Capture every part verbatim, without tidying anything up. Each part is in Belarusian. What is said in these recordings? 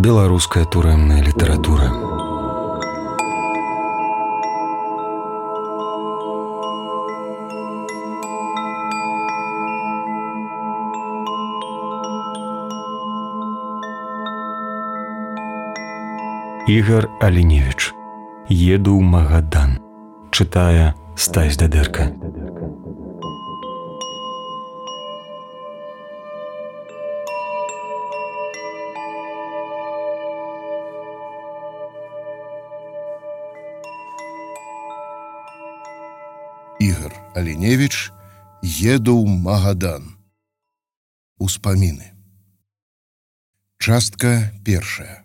Беларуская турэмная літаратура. Ігар Аліневіч. Еду ў Магадан. Чытае Стась Дадэрка. Ігар Аліневіч. Еду ў Магадан. Успаміны. Частка першая.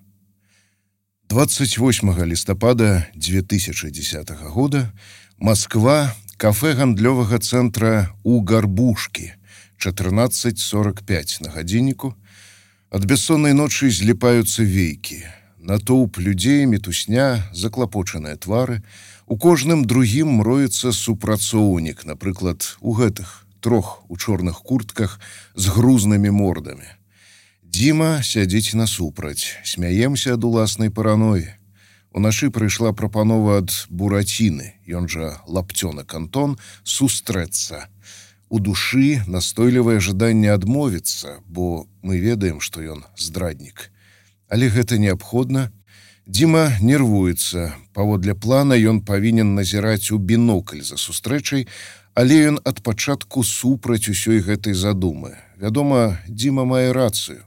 двадцать восьмага лістапада две тысячи десятого года Москва, кафе гандлёвага цэнтра у Гарбушкі, чатырнаццаць сорок пять на гадзінніку. Ад бяссоннай ночы зліпаюцца вейкі. Натоўп людзей, мітусня, заклапочаныя твары. У кожным другім мроецца супрацоўнік, напрыклад, у гэтых трох у чорных куртках з грузнымі мордамі. Дзіма сядзіць насупраць, смяемся ад уласнай параноі. Уначы прыйшла прапанова ад Бураціны, ён жа Лапцёнак Антон, сустрэцца. У душы настойлівае жаданне адмовіцца, бо мы ведаем, што ён здраднік. Але гэта неабходна. Дзіма нервуецца. Паводле плана ён павінен назіраць у бінокль за сустрэчай, але ён ад пачатку супраць усёй гэтай задумы. Вядома, Дзіма мае рацыю.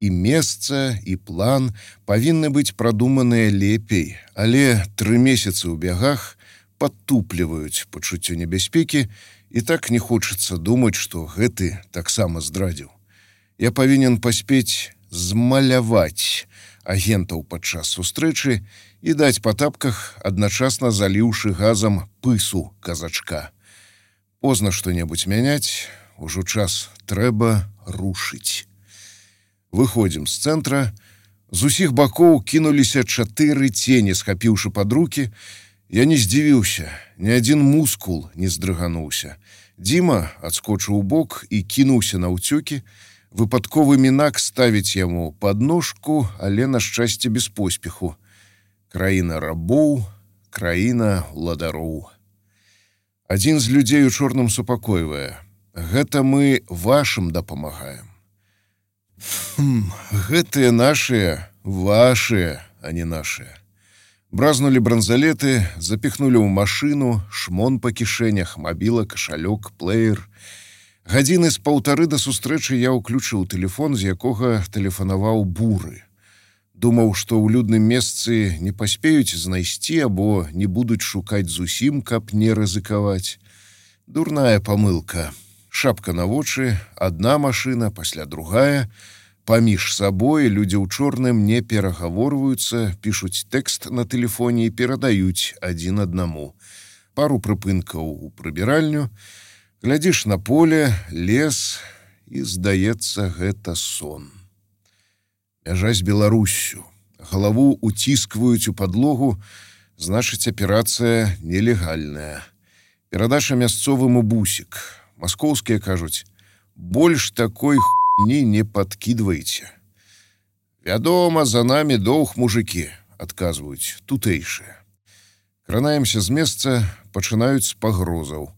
І месца, і план павінны быць прадуманыя лепей, але тры месяцы ў бягах падтупліваюць пачуццё небяспекі, і так не хочацца думаць, што гэты таксама здрадзіў. Я павінен паспець змаляваць агентаў падчас сустрэчы і даць па тапках, адначасна заліўшы газам пысу казачка. Позна што-небудзь мяняць, ужо час трэба рушыць. Выходзім з цэнтра. З усіх бакоў кінуліся чатыры цені, схапіўшы пад рукі. Я не здзівіўся, ні адзін мускул не здрыгануўся. Дзіма адскочыў у бок і кінуўся на ўцёкі. Выпадковы мінак ставіць яму пад ножку, але, на шчасце, без поспеху. Краіна рабоў, краіна ладароў. Адзін з людзей у чорным супакойвае. Гэта мы вашым дапамагаем. Хм, гэтыя нашыя, вашыя, а не нашыя. Бразнулі бранзалеты, запіхнулі ў машыну, шмон па кішэнях, мабіла, кашалёк, плеер. Гадзіны з паўтары да сустрэчы я ўключыў тэлефон, з якога тэлефанаваў Буры. Думаў, што ў людным месцы не паспеюць знайсці або не будуць шукаць зусім, каб не рызыкаваць. Дурная памылка. Шапка на вочы, адна машына, пасля другая. Паміж сабой людзі ў чорным не перагаворваюцца, пішуць тэкст на тэлефоне і перадаюць адзін аднаму. Пару прыпынкаў у прыбіральню, глядзіш на поле, лес, і, здаецца, гэта сон. Мяжа з Беларуссю. Галаву уціскваюць у падлогу, значыць, аперацыя нелегальная. Перадача мясцовым у бусік. Маскоўскія кажуць, больш такой хуйні не падкідвайце. Вядома, за намі доўг, мужыкі, адказваюць тутэйшыя. Кранаемся з месца, пачынаюць з пагрозаў.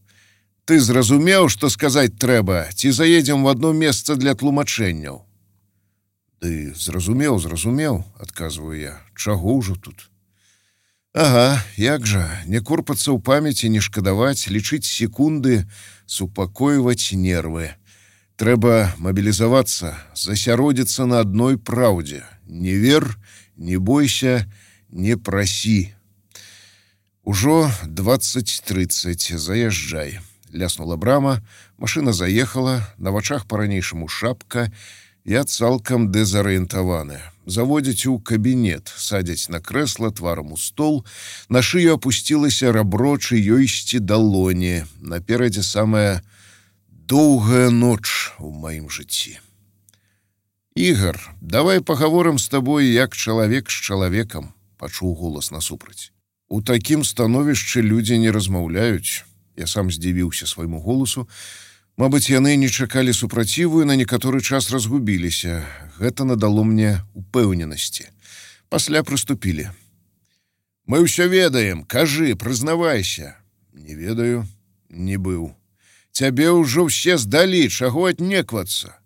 Ты зразумеў, што сказаць трэба, ці заедзем в одно месца для тлумачэнняў? Ды зразумеў, зразумеў, адказваю я. Чаго ўжо тут? Ага, як жа, не корпацца ў памяці, не шкадаваць, лічыць секунды, супакойваць нервы. Трэба мабілізавацца, засяродзіцца на адной праўдзе. Не вер, не бойся, не прасі. Ужо двадцать тридцать, заязджай. Ляснула брама, машына заехала, на вачах па-ранейшаму шапка. Я цалкам дэзарыентаваны. Заводзяць у кабінет, садзяць на крэсла, тварам у стол. На шыю апусцілася рабро чыёйсьці далоні. Наперадзе самая доўгая ноч у маім жыцці. Ігар, давай пагаворым з табой, як чалавек з чалавекам, пачуў голас насупраць. У такім становішчы людзі не размаўляюць. Я сам здзівіўся свайму голасу. Мабыць, яны не чакалі супраціву і на некаторы час разгубіліся. Гэта надало мне упэўненасці. Пасля прыступілі. Мы ўсё ведаем, кажы, прызнавайся. Не ведаю, не быў. Цябе ўжо ўсе здалі, чаго аднеквацца?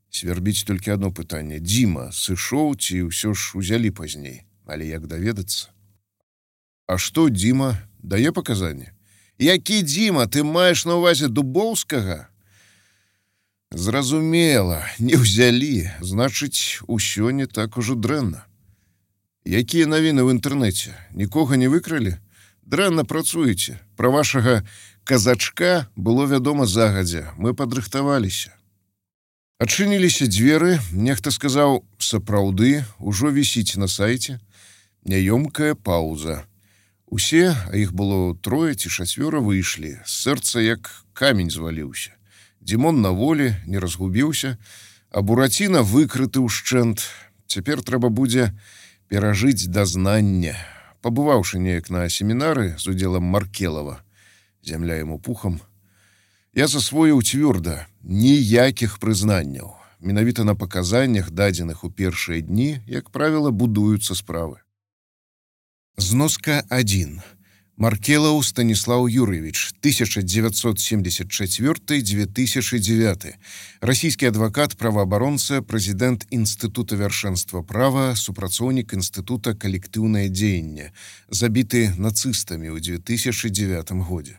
Свербіць толькі одно пытанне. Дзіма сышоў ці ўсё ж узялі пазней? Але як даведацца? А што Дзіма дае паказанні? Які Дзіма, ты маеш на ўвазе Дубоўскага? Зразумела, не ўзялі, значыць, усё не так ужо дрэнна. Якія навіны ў інтэрнэце? Нікога не выкралі? Дрэнна працуеце. Пра вашага казачка было вядома загадзя. Мы падрыхтаваліся. Адчыніліся дзверы, нехта сказаў, сапраўды, ужо вісіць на сайце. Няёмкая паўза. Усе, а іх было трое ці чацвёра, выйшлі. З сэрца як камень зваліўся. Дзімон на волі, не разгубіўся, а Бураціна выкрыты ўшчэнт. Цяпер трэба будзе перажыць дазнанне. Пабываўшы неяк на семінары з удзелам Маркелава, зямля яму пухам, я засвоіў цвёрда ніякіх прызнанняў. Менавіта на паказаннях, дадзеных у першыя дні, як правіла, будуюцца справы. Зноска адзін. Маркелаў Станіслаў Юрьевич, тысяча девятьсот семьдесят четвёртый — две тысячи девятый. Расійскі адвакат, праваабаронца, прэзідэнт Інстытута вяршэнства права, супрацоўнік Інстытута калектыўнае дзеянне, забіты нацыстамі ў две тысячи девятым годзе.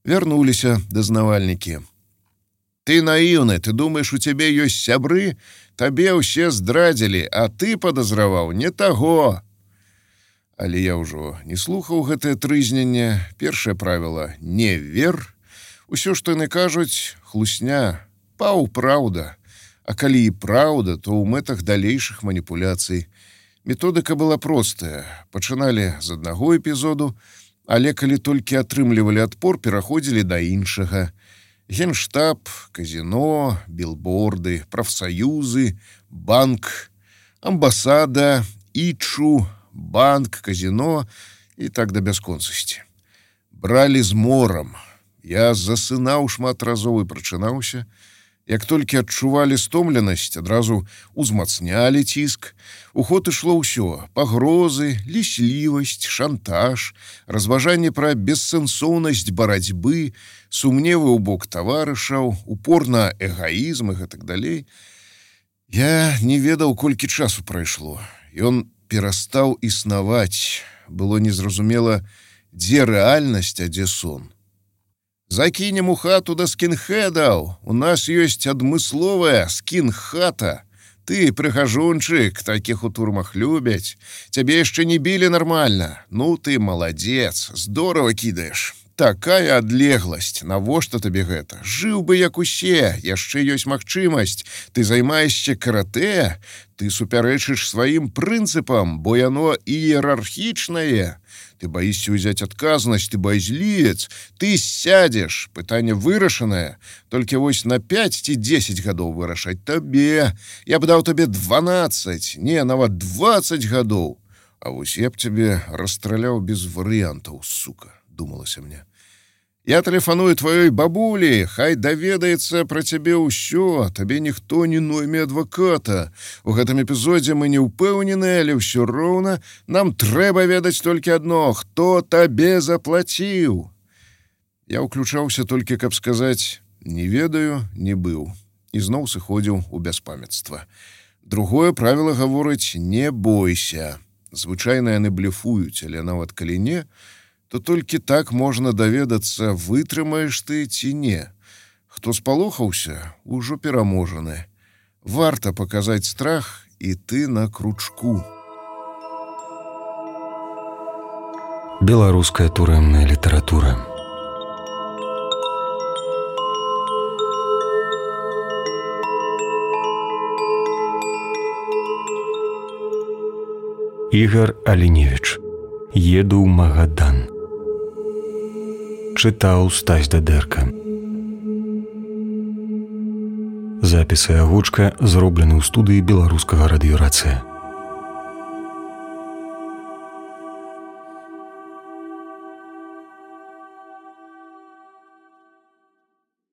Вярнуліся дазнавальнікі. Ты наіўны, ты думаеш, у цябе ёсць сябры? Табе ўсе здрадзілі, а ты падазраваў не таго. Але я ўжо не слухаў гэтае трызненне. Першае правіла — не вер. Усё, што яны кажуць, хлусня, паўпраўда. А калі і праўда, то ў мэтах далейшых маніпуляцый. Методыка была простая. Пачыналі з аднаго эпізоду, але калі толькі атрымлівалі адпор, пераходзілі да іншага. Генштаб, казино, билборды, прафсаюзы, банк, амбасада, ічу, банк, казино і так да бясконцасці. Бралі з морам. Я засынаў шмат разоў і прачынаўся. Як толькі адчувалі стомленасць, адразу узмацнялі ціск. У ход ішло ўсё: пагрозы, ліслівасць, шантаж, разважанне пра бессэнсоўнасць барацьбы, сумневы ў бок таварышаў, упор на эгаізм і гэтак далей. Я не ведаў, колькі часу прайшло. Ён перастаў існаваць. Было незразумела, дзе рэальнасць, а дзе сон. Закінем у хату да скінхедаў. У нас ёсць адмысловая скінхата. Ты, прыгажунчык, такіх у турмах любяць. Цябе яшчэ не білі нармальна. Ну, ты маладзец, здорава кідаеш. Такая адлегласць. Навошта табе гэта? Жыў бы як усе, яшчэ ёсць магчымасць. Ты займаешся каратэ, ты супярэчыш сваім прынцыпам, бо яно іерархічнае. Ты баішся ўзяць адказнасць, ты баязлівец, ты сядзеш. Пытанне вырашанае. Толькі вось на пяць ці дзесяць гадоў вырашаць табе. Я б даў табе дванаццаць, не, нават дваццаць гадоў. А вось я б цябе расстраляў без варыянтаў, сука, думалася мне. Я тэлефаную тваёй бабулі, хай даведаецца пра цябе ўсё, табе ніхто не нойме адваката. У гэтым эпізодзе мы не ўпэўнены, але ўсё роўна нам трэба ведаць толькі адно: хто табе заплаціў. Я ўключаўся толькі, каб сказаць «не ведаю, не быў», і зноў сыходзіў у бяспамятства. Другое правіла гаворыць «не бойся». Звычайна яны блефуюць, але нават калі не, то толькі так можна даведацца, вытрымаеш ты ці не. Хто спалохаўся, ужо пераможаны. Варта паказаць страх, і ты на кручку. Беларуская турэмная літаратура. Ігар Аліневіч. Еду ў Магадан. Чытаў Стась Дадэрка. Запіс і агучка зроблены ў студыі беларускага радыёрацыя.